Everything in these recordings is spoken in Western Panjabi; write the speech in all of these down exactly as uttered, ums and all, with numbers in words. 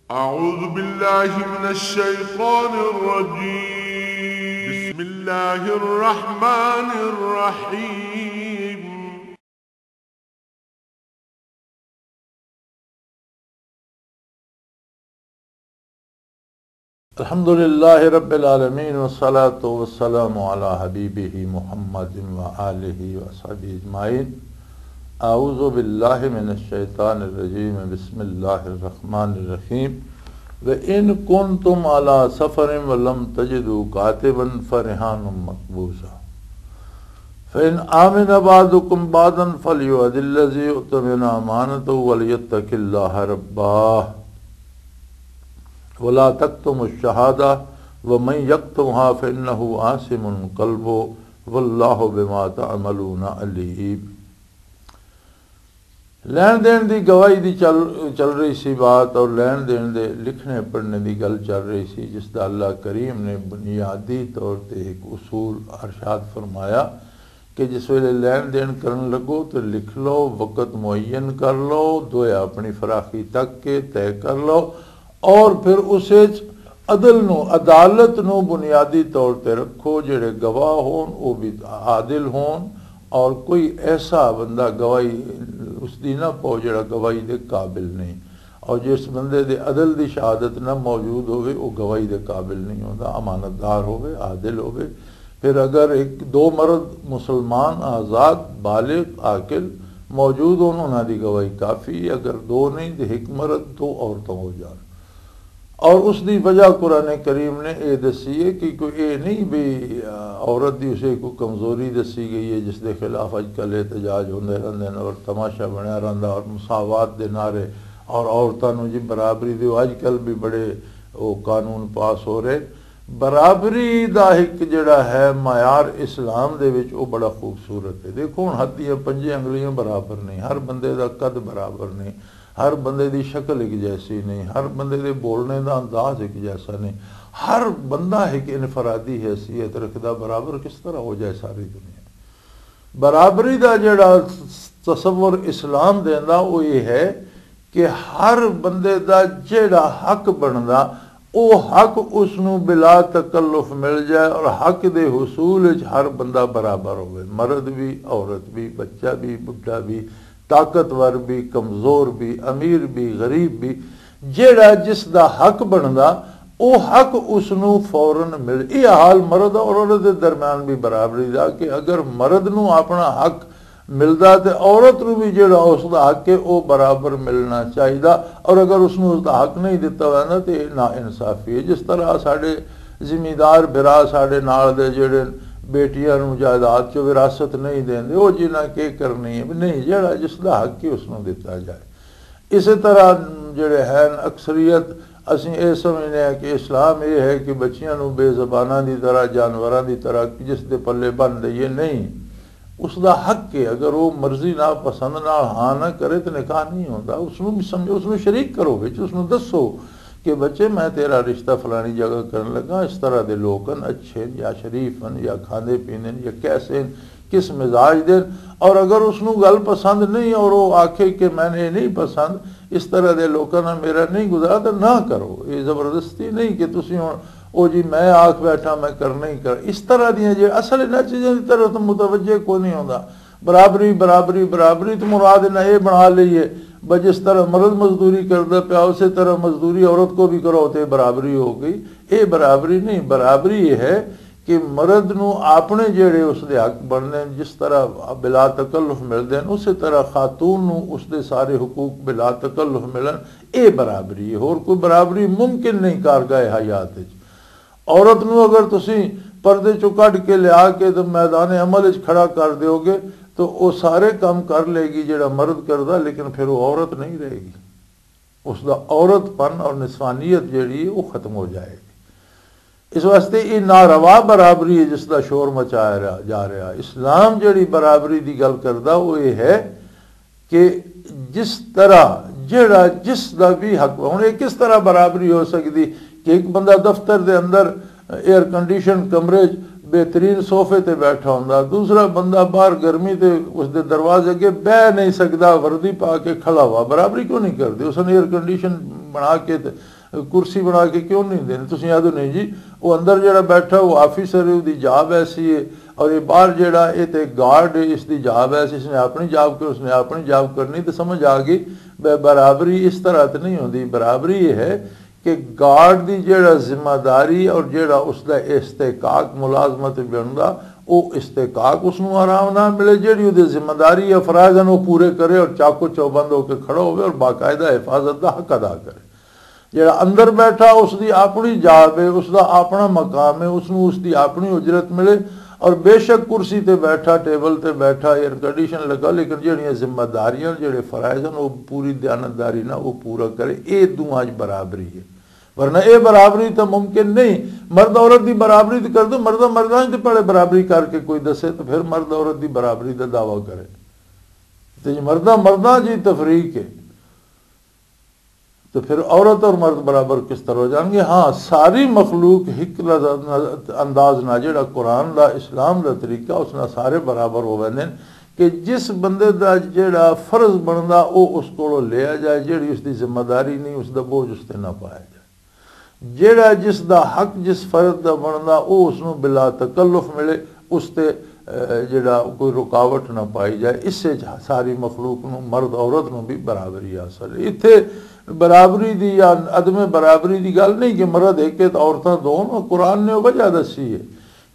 أعوذ بالله من الشيطان الرجيم. بسم الله الرحمن الرحيم. الحمد لله رب العالمين، والصلاة والسلام على حبيبه محمد وآله وصحبه أجمعين. أعوذ بالله من الشيطان الرجيم. بسم الله الرحمن الرحيم. وإن كنتم على سفر ولم تجدوا كاتبا فرهان مقبوضة. فإن آمن بعضكم بعضا فليؤد الذي اؤتمن أمانته وليتق الله ربه ولا تكتموا الشهادة ومن يكتمها فإنه آثم قلبه والله بما تعملون عليم. لین دین دی گواہی دی چل، چل رہی سی بات، اور لین دین دے لکھنے پڑھنے دی گل چل رہی سی، جس دا اللہ کریم نے بنیادی طور تے ایک اصول ارشاد فرمایا کہ جس ویلے لین دین کرن لگو تو لکھ لو، وقت معین کر لو، دویا اپنی فراخی تک کے طے کر لو، اور پھر اس وچ عدل نو، عدالت نو بنیادی طور تے رکھو، جڑے گواہ ہون، او بھی عادل ہون، اور کوئی ایسا بندہ گواہی اس دی نہ پاؤ جڑا گواہی دے قابل نہیں، اور جس بندے دے عدل دی شہادت نہ موجود ہوئے، وہ گواہی دے قابل نہیں ہوندا، امانت دار ہوئے، عادل ہوئے۔ پھر اگر ایک دو مرد مسلمان، آزاد، بالغ، عاقل موجود ہون، انہاں دی گواہی کافی ہے۔ اگر دو نہیں تے ایک مرد، دو عورتوں ہو جان۔ اور اس دی وجہ قرآن کریم نے اے دسی ہے کہ کوئی اے نہیں بھی، آ، عورت دی اسے کوئی کمزوری دسی گئی ہے جس دے خلاف اج کل احتجاج ہوندے رہندے نے اور تماشا بنیا رہندا اور مساوات دے نعرے اور عورتاں نوں جی برابری دیو، اج کل بھی بڑے او قانون پاس ہو رہے۔ برابری دا ایک جڑا ہے معیار اسلام دے وچ، او بڑا خوبصورت ہے۔ دیکھو ہن ہتھ دیاں پنجے انگلیاں برابر نہیں، ہر بندے دا قد برابر نہیں، ہر بندے دی شکل ایک جیسی نہیں، ہر بندے دے بولنے دا انداز ایک جیسا نہیں۔ ہر بندہ ایک انفرادی حیثیت رکھدا، برابر کس طرح ہو جائے ساری دنیا؟ برابری دا جڑا تصور اسلام دیندا، وہ یہ ہے کہ ہر بندے دا جڑا حق بندا، او حق اس نوں بلا تکلف مل جائے اور حق دے حصول وچ ہر بندہ برابر ہوئے، مرد بھی، عورت بھی، بچہ بھی، بڈھا بھی، طاقتور بھی، کمزور بھی، امیر بھی، غریب بھی، جیڑا جس دا حق بندا، او حق اس نوں فوراً مل۔ یہ حال مرد اور عورت دے درمیان بھی برابری دا کہ اگر مرد نوں اپنا حق ملدا تے عورت نوں بھی جیڑا اس دا حق ہے، او برابر ملنا چاہیدا۔ اور اگر اس نوں اس دا حق نہیں دتا ویندا تے نا انصافی ہے۔ جس طرح ساڈے زمیندار بھرا ساڈے نال دے جیڑے بیٹیاں نوں جائیداد چ وراثت نہیں دیندے، او جنہاں کی کرنی ہے، نہیں، جیڑا جس دا حق ہے اس نوں دتا جائے۔ اسی طرح جڑے ہیں اکثریت، اسیں اے سمجھنے ہیں کہ اسلام اے ہے کہ بچیاں نوں بے زباناں دی طرح، جانوراں دی طرح جس دے پلے بن دئیے، نہیں۔ اس دا حق ہے، اگر وہ مرضی نہ، پسند نہ، ہاں نہ کرے تو نکاح نہیں ہوندا۔ اس نوں بھی سمجھو، اس نوں شریک کرو وچ، اس نوں دسو کہ بچے، میں تیرا رشتہ فلانی جگہ کرن لگا، اس طرح دے لوگ ہن، اچھے ہن یا شریف ہن یا کھاندے پیندے ہن یا کیسے ہن، کس مزاج دے ہن۔ اور اگر اس نوں گل پسند نہیں اور وہ آکھے کہ میں نے یہ نہیں پسند، اس طرح دے لوکاں نال میرا نہیں گزارا، تو نہ کرو۔ یہ زبردستی نہیں کہ تسی ہن، او جی میں آکھ بیٹھا میں کرنا ہی کر، اس طرح دیاں جے اصل انہاں چیزاں دی طرف تو متوجہ کوئی نہیں ہوندا۔ برابری، برابری، برابری تو مراد انہاں یہ بنا لئی ہے، بس جس طرح مرد مزدوری کردا پیا، اسی طرح مزدوری عورت کو بھی کرو، تے برابری ہو گئی۔ یہ برابری نہیں، برابری یہ ہے کہ مرد نو اپنے جڑے اس دے حق بننے ہیں، جس طرح بلا تکلف ملدے ہیں، اسی طرح خاتون نو اس دے سارے حقوق بلا تکلف ملن۔ اے برابری ہے، اور کوئی برابری ممکن نہیں کارگاہ حیات وچ۔ عورت نو اگر تسی پردے چوں کڈ کے لیا کے تے میدان عمل وچ کھڑا کر دیو گے تو او سارے کام کر لے گی جڑا مرد کردا، لیکن پھر او عورت نہیں رہے گی۔ اس دا عورت پن اور نسوانیت جڑی ہے، وہ ختم ہو جائے گی۔ اس واسطے یہ ناروا برابری ہے جس دا شور مچایا رہا، جا رہا۔ اسلام جڑی برابری دی گل کردا، وہ یہ ہے کہ جس طرح جڑا جس دا بھی حق، ہن یہ کس طرح برابری ہو سکدی کہ ایک بندہ دفتر دے اندر ایئر کنڈیشن کمرے 'چ بہترین صوفے تے بیٹھا ہوندا، دوسرا بندہ باہر گرمی تے اس دے دروازے اگے بہ نہیں سکدا، وردی پا کے کھڑا ہوا، برابری کیوں نہیں کردے؟ اس نے ایئر کنڈیشن بنا کے تے کرسی بنا کے کیوں نہیں دیندے؟ تسی آدھو نہیں جی، وہ اندر جڑا بیٹھا وہ آفیسر ہے، اس دی جاب ایسی ہے، اور یہ باہر جڑا یہ تے گارڈ ہے، اس دی جاب ایسی، اس نے اپنی جاب کری، اس نے اپنی جاب کرنی۔ تو سمجھ آ گئی، بے برابری اس طرح تے نہیں ہوندی۔ برابری یہ ہے کہ گارڈ دی جڑا ذمہ داری اور جڑا اس دا استحقاق ملازمت بندا، او استحقاق اس نوں آرام نہ ملے، جڑی او دی ذمہ داری یا فرائض ہیں، او پورے کرے اور چاکو چوبند ہو کے کھڑا ہوئے اور باقاعدہ حفاظت دا حق ادا کرے۔ جڑا اندر بیٹھا، اس دی اپنی جاب ہے، اس دا اپنا مقام ہے، اس نوں اس دی اپنی اجرت ملے۔ اور بے شک کرسی تے بیٹھا، ٹیبل تے بیٹھا، ایئر کنڈیشن لگا، لیکن جڑیاں ذمہ داریاں، جڑے فرائض ہیں، وہ پوری دیانتداری نہ وہ پورا کرے۔ اے دونوں اج برابری ہے، ورنہ اے برابری تو ممکن نہیں۔ مرد عورت دی برابری تو کر دو، مردہ مردہ تے پہلے برابری کر کے کوئی دسے تو پھر مرد عورت دی برابری دا دعویٰ کرے۔ تے جی مردہ مردہ جی تفریق ہے، تو پھر عورت اور مرد برابر کس طرح ہو جان گے؟ ہاں، ساری مخلوق ایک لز-، انداز نہ، جڑا قرآن دا، اسلام دا طریقہ، اس نال سارے برابر ہو ویندے نے۔ کہ جس بندے دا جڑا فرض بندا، او اس کولوں لیا جائے، جڑی اس دی ذمہ داری نہیں، اس دا بوجھ اس تے نہ پایا جائے۔ جڑا جس دا حق، جس فرض دا بندا، او اس نوں بلا تکلف ملے، اس تے، اے، جڑا کوئی رکاوٹ نہ پائی جائے۔ اس وچ ساری مخلوق نوں، مرد عورت نوں بھی برابری حاصل ہے۔ ایتھے برابری دی یا عدم برابری دی گل نہیں کہ مرد ایک ہے تے عورتاں دو، قرآن نے وجہ دسی ہے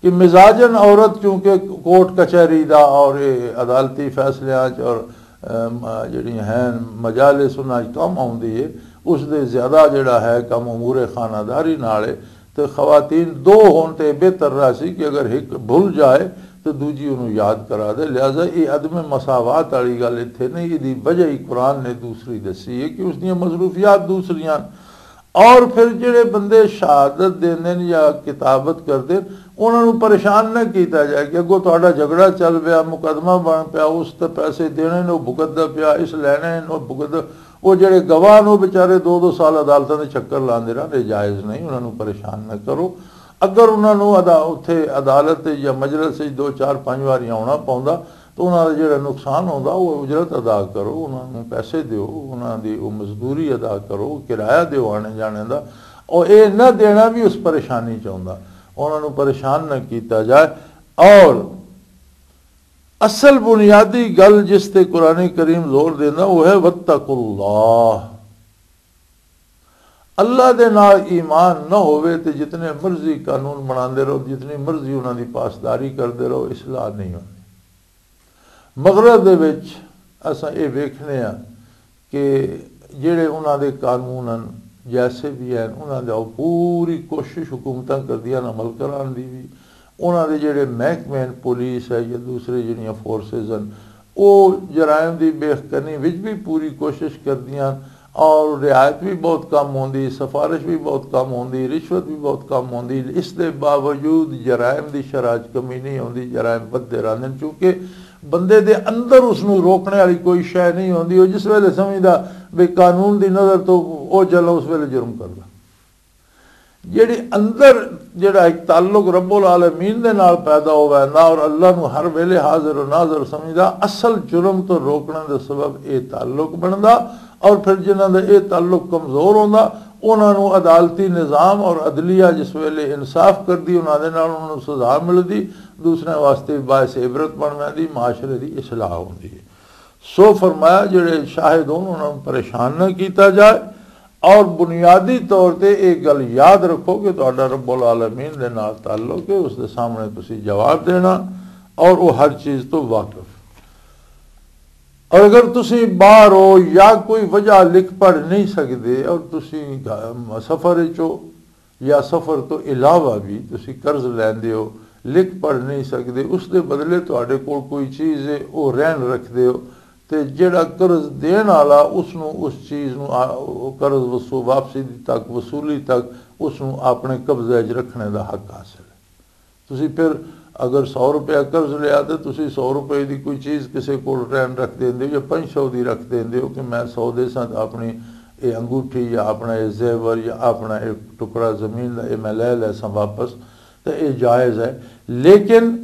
کہ مزاجن عورت چونکہ کورٹ کچہری دا اور اے عدالتی فیصلیاں چ اور، ام، جڑی ہیں مجالس انہاں چ کم آوندی ہے، اس دے زیادہ جڑا ہے کم امور خانہ داری نال ہے۔ تے خواتین دو ہون تے بہتر رہا سی کہ اگر ایک بھول جائے تو دوجی انہوں یاد کرا دے۔ لہذا یہ عدم مساوات والی گل اتھے نہیں، یہ دی وجہ ہی قرآن نے دوسری دسی ہے کہ اس دیاں مصروفیات دوسریاں۔ اور پھر جڑے بندے شہادت دیندے نے یا کتابت کردے نے، انہاں نوں پریشان نہ کیتا جائے کہ اگوں تہاڈا جھگڑا چل پیا، مقدمہ بن پیا، اس تے پیسے دینے نے، وہ بھگتدا پیا، اس لینے نے، وہ بھگتدا۔ وہ جڑے گواہ نے، وہ بیچارے دو دو سال عدالتاں دے چکر لاندے رہندے، جائز نہیں، انہاں نوں پریشان نہ کرو۔ اگر انہاں نوں ادا-، اتھے عدالت یا مجلس وچ دو چار پنج واری آونا پوندا، تو انہاں دا جڑا نقصان ہوندا، وہ اجرت ادا کرو، انہاں نوں پیسے دیو، انہاں دی وہ مزدوری ادا کرو، کرایہ دیو آنے جانے دا۔ اور اے نہ دینا بھی اس پریشانی چ ہوندا، انہاں نوں پریشان نہ کیتا جائے۔ اور اصل بنیادی گل جس تے قرآن کریم زور دیندا، وہ ہے "واتقوا اللہ۔" اللہ دے نال ایمان نہ ہووے تے جتنے مرضی قانون بناندے رہو، جتنی مرضی انہاں دی پاسداری کردے رہو، اصلاح نہیں ہونی۔ مغرب دے وچ اساں اے ویکھنے ہاں کہ جڑے انہاں دے قانون ہن، جیسے بھی ہیں، انہاں دا پوری کوشش حکومتاں کردیاں عمل کران دی بھی۔ انہاں دے جڑے محکمے ہیں، پولیس ہے یا دوسرے جڑیاں فورسز ہیں، وہ جرائم دی بے کنی وچ بھی پوری کوشش کردیاں اور رعایت بھی بہت کم ہوندی، سفارش بھی بہت کم ہوندی، رشوت بھی بہت کم ہوندی۔ اس دے باوجود جرائم دی شرح چ کمی نہیں ہوندی، جرائم ودھدے رہندے نے، کیونکہ بندے دے اندر اس نوں روکنے والی کوئی شے نہیں ہوندی۔ وہ جس ویلے سمجھدا بھی قانون دی نظر تو اوجھل ہے، اس ویلے جرم کردا۔ جڑی اندر جڑا ایک تعلق رب العالمین دے نال پیدا ہو ویندا اور اللہ نو ہر ویلے حاضر و ناظر سمجھدا، اصل جرم تو روکنے دے سبب اے تعلق بندا۔ اور پھر جنہاں دا اے تعلق کمزور ہوندا، انہاں نو عدالتی نظام اور عدلیہ جس ویلے انصاف کردی، انہاں دے نال انہاں نو سزا ملدی، دوسرے واسطے باعث عبرت بن ویندی، معاشرے دی اصلاح ہوندی ہے۔ سو فرمایا، جڑے شاہد ہون، انہاں نوں پریشان نہ کیتا جائے۔ اور بنیادی طور تے ایک گل یاد رکھو کہ تہاڈا رب العالمین دے نال تعلق ہے، اس دے سامنے تسی جواب دینا اور وہ ہر چیز تو واقف۔ اور اگر تسی باہر ہو یا کوئی وجہ لکھ پڑھ نہیں سکدے اور تسی گھ-، سفر وچ ہو، یا سفر تو علاوہ بھی تسی قرض لیندے ہو، لکھ پڑھ نہیں سکدے، اس دے بدلے تہاڈے کول کوئی چیز ہے، او رہن رکھدے ہو، تے جیڑا قرض دین والا اس نو، اس چیز نو آ-، قرض وصو-، واپسی دی تک، وصولی تک اس نو اپنے قبضے وچ رکھنے دا حق حاصل ہے۔ تسی پھر اگر سو روپے قرض لیا تے تسی سو روپے دی کوئی چیز کسے کول رہن رکھ دیندے ہو یا پنج سو دی رکھ دیندے ہو کہ میں سو دے ساں تے اپنی اے انگوٹھی یا اپنا اے زیور یا اپنا اے ٹکڑا زمین دا اے میں لے لے ساں واپس، تے اے جائز ہے۔ لیکن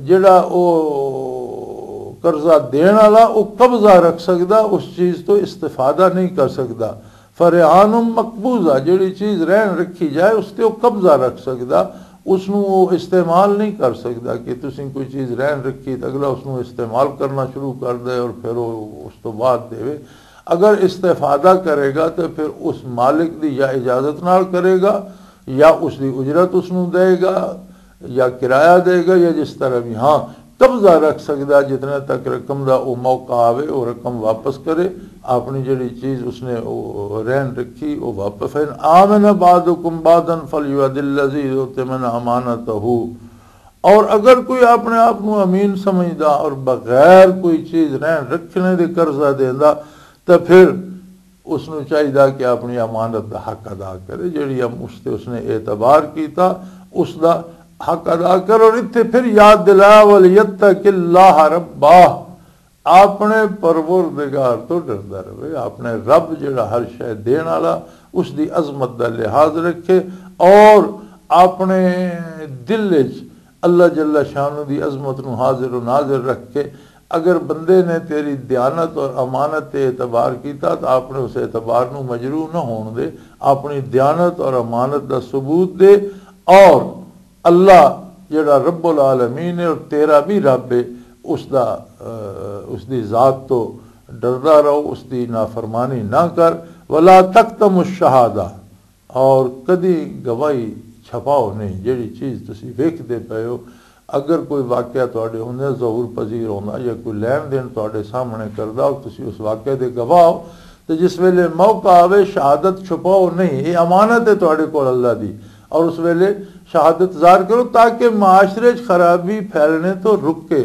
جڑا او قرضہ دین والا او قبضہ رکھ سکدا، اس چیز تو استفادہ نہیں کر سکدا۔ فرحان مقبوضہ، جڑی چیز رہن رکھی جائے، اس تے وہ قبضہ رکھ سکدا، اس نوں وہ استعمال نہیں کر سکدا۔ کہ تسیں کوئی چیز رہن رکھی تو اگلا اس نوں استعمال کرنا شروع کر دے اور پھر وہ اس تو بعد دے۔ اگر استفادہ کرے گا تو پھر اس مالک دی یا اجازت نال کرے گا، یا اس دی اجرت اس نوں دے گا، یا کرایہ دے گا، یا جس طرح بھی۔ ہاں، قبضہ رکھ سکدا جتنے تک رقم دا او موقع آوے، او رقم واپس کرے، اپنی جڑی چیز اس نے او رہن رکھی، او واپس۔ فَإِنْ آمَنَ بَعْضُكُمْ بَعْضًا فَلْيُؤَدِّ الَّذِي اؤْتُمِنَ أَمَانَتَهُ۔ اور اگر کوئی اپنے آپ نو امین سمجھدا اور بغیر کوئی چیز رہن رکھنے دے قرضہ دیندا، تے پھر اس نوں چاہیدا کہ اپنی امانت دا حق ادا کرے، جڑی ہم اس تے اس نے اعتبار کیتا، اس دا حق ادا کر۔ اور اتھے پھر یاد دلایا، وَلْيَتَّقِ اللَّهَ رَبَّهُ، اپنے پروردگار تو ڈردا رہے، اپنے رب جڑا ہر شے دین والا، اس دی عظمت دا لحاظ رکھے اور اپنے دل وچ اللہ جل شانہ دی عظمت نو حاضر و ناظر رکھ کے، اگر بندے نے تیری دیانت اور امانت تے اعتبار کیتا تو اپنے اس اعتبار نو مجروح نہ ہون دے، اپنی دیانت اور امانت دا ثبوت دے، اور اللہ جڑا رب العالمین ہے اور تیرا بھی رب ہے، اس دا، اہ، اس دی ذات تو ڈردا رہو، اس دی نافرمانی نہ کر۔ ولا تکتم الشہادہ، اور کدی گواہی چھپاؤ نہیں۔ جڑی چیز تسی ویکھدے پئے ہو، اگر کوئی واقعہ تہاڈے ہوندے ظہور پذیر ہوندا یا کوئی لین دین تہاڈے سامنے کردا اور تسی اس واقعے دے گواہ ہو، تے جس ویلے موقع آوے، شہادت چھپاؤ نہیں۔ یہ امانت ہے تہاڈے کول اللہ دی، اور اس ویلے شہادت ظاہر کرو تاکہ معاشرے 'چ خرابی پھیلنے تو رکے،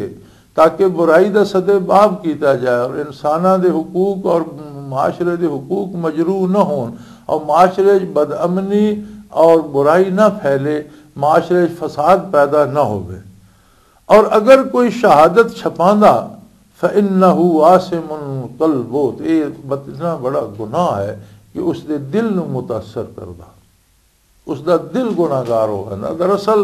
تاکہ برائی دا سدے باب کیتا جائے اور انساناں دے حقوق اور معاشرے دے حقوق مجروح نہ ہون اور معاشرے 'چ بدامنی اور برائی نہ پھیلے، معاشرے 'چ فساد پیدا نہ ہوئے۔ اور اگر کوئی شہادت چھپاندا، فَإِنَّهُ آثِمٌ قَلْبُهُ، تو یہ اتنا بڑا گناہ ہے کہ اس دے دل نو متاثر کردا، اس دا دل گناہگار ہو ویندا۔ دراصل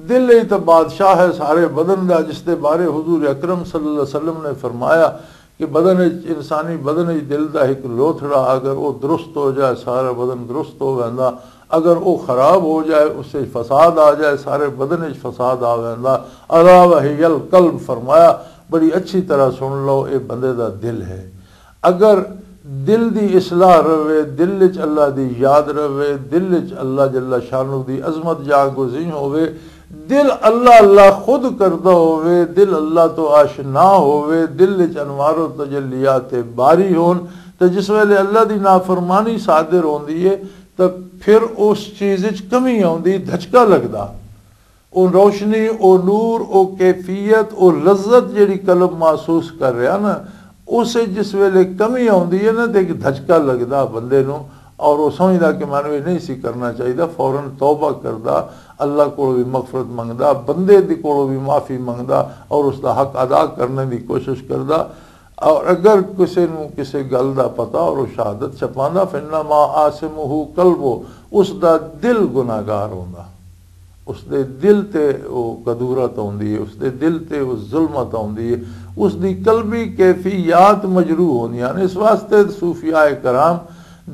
دل ہی تو بادشاہ ہے سارے بدن دا، جس دے بارے حضور اکرم صلی اللہ علیہ وسلم نے فرمایا کہ بدن وچ، انسانی بدن وچ دل دا ایک لوتھڑا اگر وہ درست ہو جائے، سارا بدن درست ہو ویندا۔ اگر وہ خراب ہو جائے، اس سے فساد آ جائے، سارے بدن وچ فساد آ ویندا۔ الا وہی القلب، فرمایا، بڑی اچھی طرح سن لو، اے بندے دا دل ہے۔ اگر دل دی اصلاح رہے، دل وچ اللہ دی یاد رہے، دل وچ اللہ جل شانہ دی عظمت جاگزین ہوئے، دل اللہ اللہ خود کردا ہوئے، دل اللہ تو آشنا ہوئے، دل وچ انوار و تجلیات باری ہون، تے جس ویلے اللہ دی نافرمانی صادر ہوندی ہے، تے پھر اس چیز وچ کمی آوندی، دھچکا لگدا۔ او روشنی، او نور، او کیفیت، او لذت جڑی قلب محسوس کر رہا نا، اس وچ جس ویلے کمی آوندی ہے نا، تے ایک دھچکا لگدا بندے نو، اور وہ سمجھدا کہ مینوں یہ نہیں سی کرنا چاہیے، فوراً توبہ کردا، اللہ کولوں بھی مغفرت منگدا، بندے دی کولوں بھی معافی منگدا، اور اس دا حق ادا کرنے دی کوشش کردا۔ اور اگر کسے نو کسے گل دا پتا اور وہ شہادت چھپاندا، فإنما آثمہ قلبہ، اس دا دل گناہگار ہوندا، اس دے دل تے وہ کدورت ہوندی ہے، اس دے دل تے وہ ظلمت ہوندی ہے، اس دی قلبی کیفیات مجروح ہوندیاں نے۔ اس واسطے صوفیاء کرام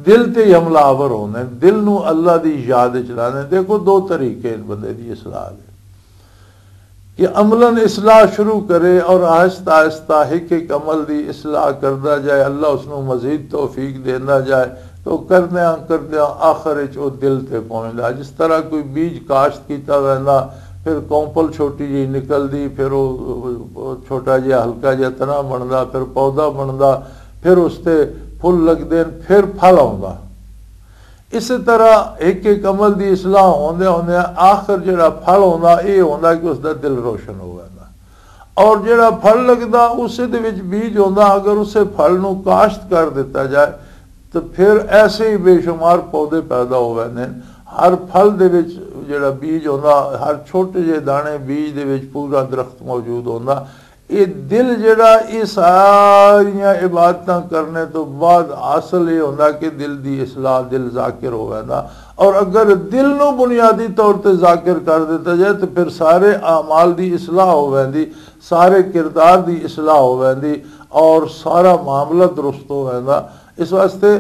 دل تے ہی حملہ آور ہوندے ہیں، دل نو اللہ دی یاد وچ لاندے ہیں۔ دیکھو، دو طریقے ہیں بندے دی اصلاح دے۔ کہ عملاً اصلاح شروع کرے اور آہستہ آہستہ ایک ایک عمل دی اصلاح کردا جائے، اللہ اس نو مزید توفیق دیندا جائے، تو کردیاں کردیاں آخر وچ او دل تے پہنچدا۔ جس طرح کوئی بیج کاشت کیتا ویندا، پھر کونپل چھوٹی جی نکلدی، پھر او چھوٹا جہا ہلکا جہا تنا بندا، پھر پودا بندا، پھر اس تے پھل لگدے، پھر پھل آوندا۔ اسی طرح ایک ایک عمل دی اصلاح ہوندے ہوندے آخر جڑا پھل ہوندا، اے ہوندا کہ اس دا دل روشن ہو ویندا۔ اور جڑا پھل لگدا، اسے دے وچ بیج ہوندا، اگر اسے پھل نو کاشت کر دیتا جائے تو پھر ایسے ہی بے شمار پودے پیدا ہو ویندے ہیں۔ ہر پھل دے وچ جڑا بیج ہوندا، ہر چھوٹے جے دانے بیج دے وچ پورا درخت موجود ہوندا۔ یہ دل جڑا، یہ ساریاں عبادتاں کرنے تو بعد حاصل یہ ہوندا کہ دل دی اصلاح، دل ذاکر ہو ویندا۔ اور اگر دل نو بنیادی طور تے ذاکر کر دیتا جائے تو پھر سارے اعمال دی اصلاح ہو ویندی، سارے کردار دی اصلاح ہو ویندی اور سارا معاملہ درست ہو ویندا۔ اس واسطے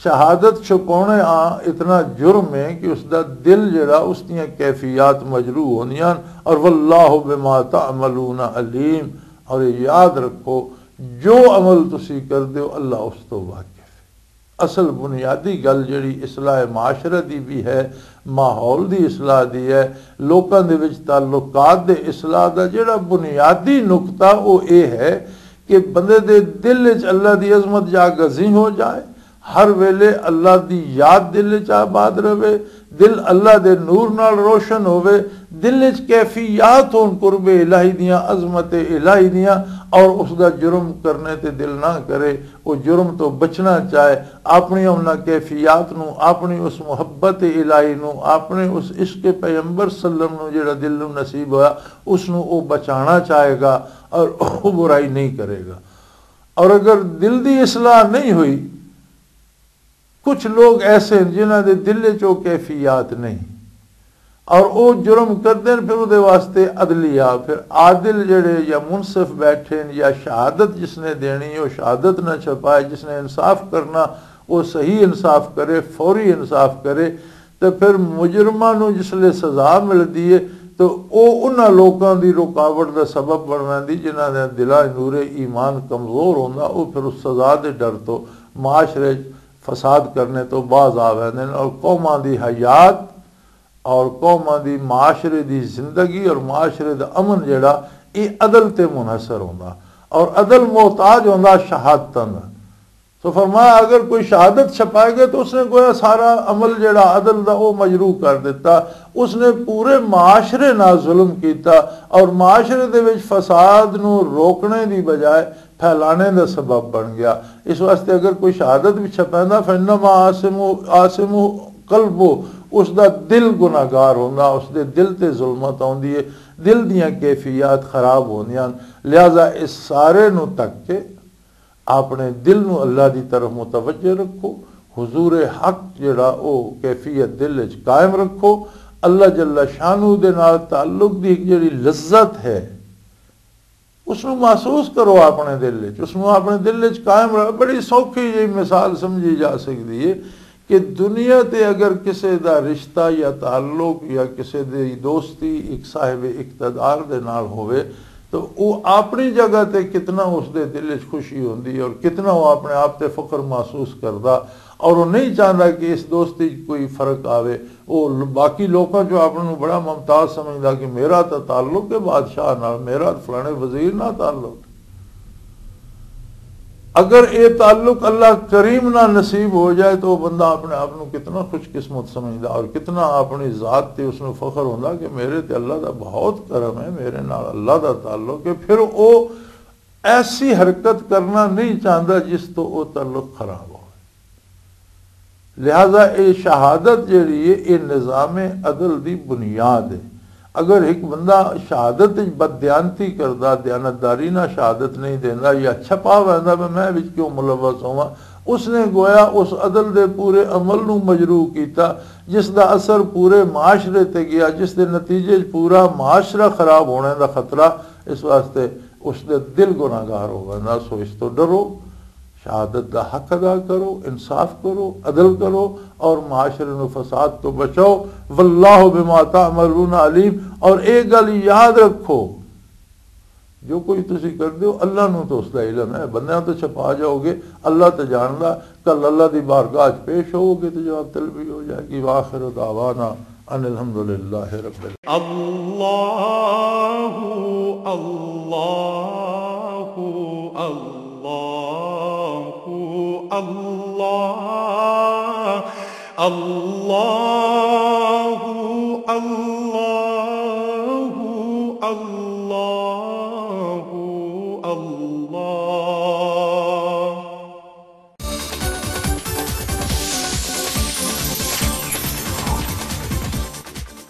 شہادت چھپانے آ اتنا جرم ہے کہ اس دا دل جڑا، اس دیاں کیفیات مجروح ہوندیاں۔ اور واللہ بما تعملون علیم، اور یہ یاد رکھو، جو عمل تسی کردے ہو، اللہ اس تو واقف ہے۔ اصل بنیادی گل جڑی اصلاح معاشرہ دی بھی ہے، ماحول دی اصلاح دی ہے، لوکاں دے وچ تعلقات دے اصلاح دا جڑا بنیادی نقطہ، وہ اے ہے کہ بندے دے دل وچ اللہ دی عظمت جا گزیں ہو جائے، ہر ویلے اللہ دی یاد دل وچ آباد رہے، دل اللہ دے نور نال روشن ہوے، دل وچ کیفیات ہون قرب الہی دیاں، عظمت الہی دیاں، اور اس دا جرم کرنے تے دل نہ کرے، وہ جرم تو بچنا چاہے، اپنی انہاں کیفیات نو، اپنی اس محبت الہی نو، اپنے اس عشق پیغمبر صلی اللہ علیہ وسلم نو جڑا دل نو نصیب ہویا، اس نو وہ بچانا چاہے گا اور وہ برائی نہیں کرے گا۔ اور اگر دل دی اصلاح نہیں ہوئی، کچھ لوگ ایسے ہیں جنہاں دے دل وچ وہ کیفیات نہیں، اور وہ جرم کردے ہیں، پھر وہ دے واسطے عدلیہ، پھر عادل جڑے یا منصف بیٹھے ہیں، یا شہادت جس نے دینی، وہ شہادت نہ چھپائے، جس نے انصاف کرنا، وہ صحیح انصاف کرے، فوری انصاف کرے۔ تے پھر مجرماں نوں جس لے سزا ملدی ہے، تو او انہاں لوکاں دی رکاوٹ دا سبب بن ویندی جنہاں دے دلاں نور ایمان کمزور ہوندا، او پھر اس سزا دے ڈر تو معاشرے فساد کرنے تو باز آ ویندے نے، اور قوماں دی حیات اور قوماں دی معاشرے دی زندگی اور معاشرے دا امن جڑا، اے عدل تے منحصر ہوندا، اور عدل محتاج ہوندا شہادتاں دا۔ سو فرمایا، اگر کوئی شہادت چھپائے گا تو اس نے گویا سارا عمل جڑا عدل دا، وہ مجروح کر دیتا۔ اس نے پورے معاشرے نال ظلم کیتا، اور معاشرے دے وچ فساد نو روکنے دی بجائے پھیلانے دا سبب بن گیا۔ اس واسطے اگر کوئی شہادت بھی چھپیندا، فإنما آثم، آثم قلبه، اس دا دل گناہگار ہوندا، اس دے دل تے ظلمت آوندی ہے، دل دیاں کیفیات خراب ہوندیاں۔ لہذا اس سارے نو تک کے اپنے دل نو اللہ دی طرف متوجہ رکھو، حضور حق جڑا او کیفیت دل وچ قائم رکھو۔ اللہ جل شانہ دے نال تعلق دی ایک جڑی لذت ہے، اس نو محسوس کرو اپنے دل وچ، اس نو اپنے دل وچ قائم رکھو۔ بڑی سوکھی جی مثال سمجھی جا سکدی ہے کہ دنیا تے اگر کسے دا رشتہ یا تعلق یا کسے دی دوستی ایک صاحب اقتدار دے نال ہووے، تو وہ اپنی جگہ تے کتنا اس دے دل وچ خوشی ہوندی ہے اور کتنا وہ اپنے آپ تے فخر محسوس کردا، اور وہ نہیں چاہتا کہ اس دوستی 'چ کوئی فرق آوے۔ وہ ل-، باقی لوکاں چوں اپنے نوں بڑا ممتاز سمجھدا کہ میرا تاں تعلق ہے بادشاہ نال، میرا فلانے وزیر نال تعلق۔ اگر یہ تعلق اللہ کریم نال نصیب ہو جائے تو وہ بندہ اپنے آپ نوں کتنا خوش قسمت سمجھدا اور کتنا اپنی ذات تے اس نوں فخر ہوندا کہ میرے تے اللہ دا بہت کرم ہے، میرے نال اللہ دا تعلق ہے۔ پھر وہ ایسی حرکت کرنا نہیں چاہتا جس تو وہ تعلق خراب ہو۔ لہذا یہ شہادت جڑی ہے، یہ نظام عدل دی بنیاد ہے۔ اگر ایک بندہ شہادت وچ بددیانتی کردا، دیانتداری نہ شہادت نہیں دیندا یا چھپا ویندا، میں میں وچ کیوں ملوث ہواں، اس نے گویا اس عدل دے پورے عمل نو مجروح کیتا، جس دا اثر پورے معاشرے تے گیا، جس دے نتیجے وچ پورا معاشرہ خراب ہونے دا خطرہ۔ اس واسطے اس دے دل گناہگار ہو گئے نا۔ سو اس تو ڈرو، شہادت دا حق ادا کرو، انصاف کرو، عدل کرو اور معاشرے نو فساد تو بچاؤ۔ واللہ بما تعملون علیم۔ اور ایک گل یاد رکھو، جو کچھ تسی کردے ہو، اللہ نو تو اس دا علم ہے، بندیاں تو چھپا جاؤ گے، اللہ تو جاندا۔ کل اللہ دی بارگاہ 'چ پیش ہوو گے تو جواب طلبی ہو جائے گی۔ وآخر دعوانا ان الحمدللہ رب العالمین۔ اللہ، اللہ، اللہ، اللہ، اللہ، اللہ، اللہ۔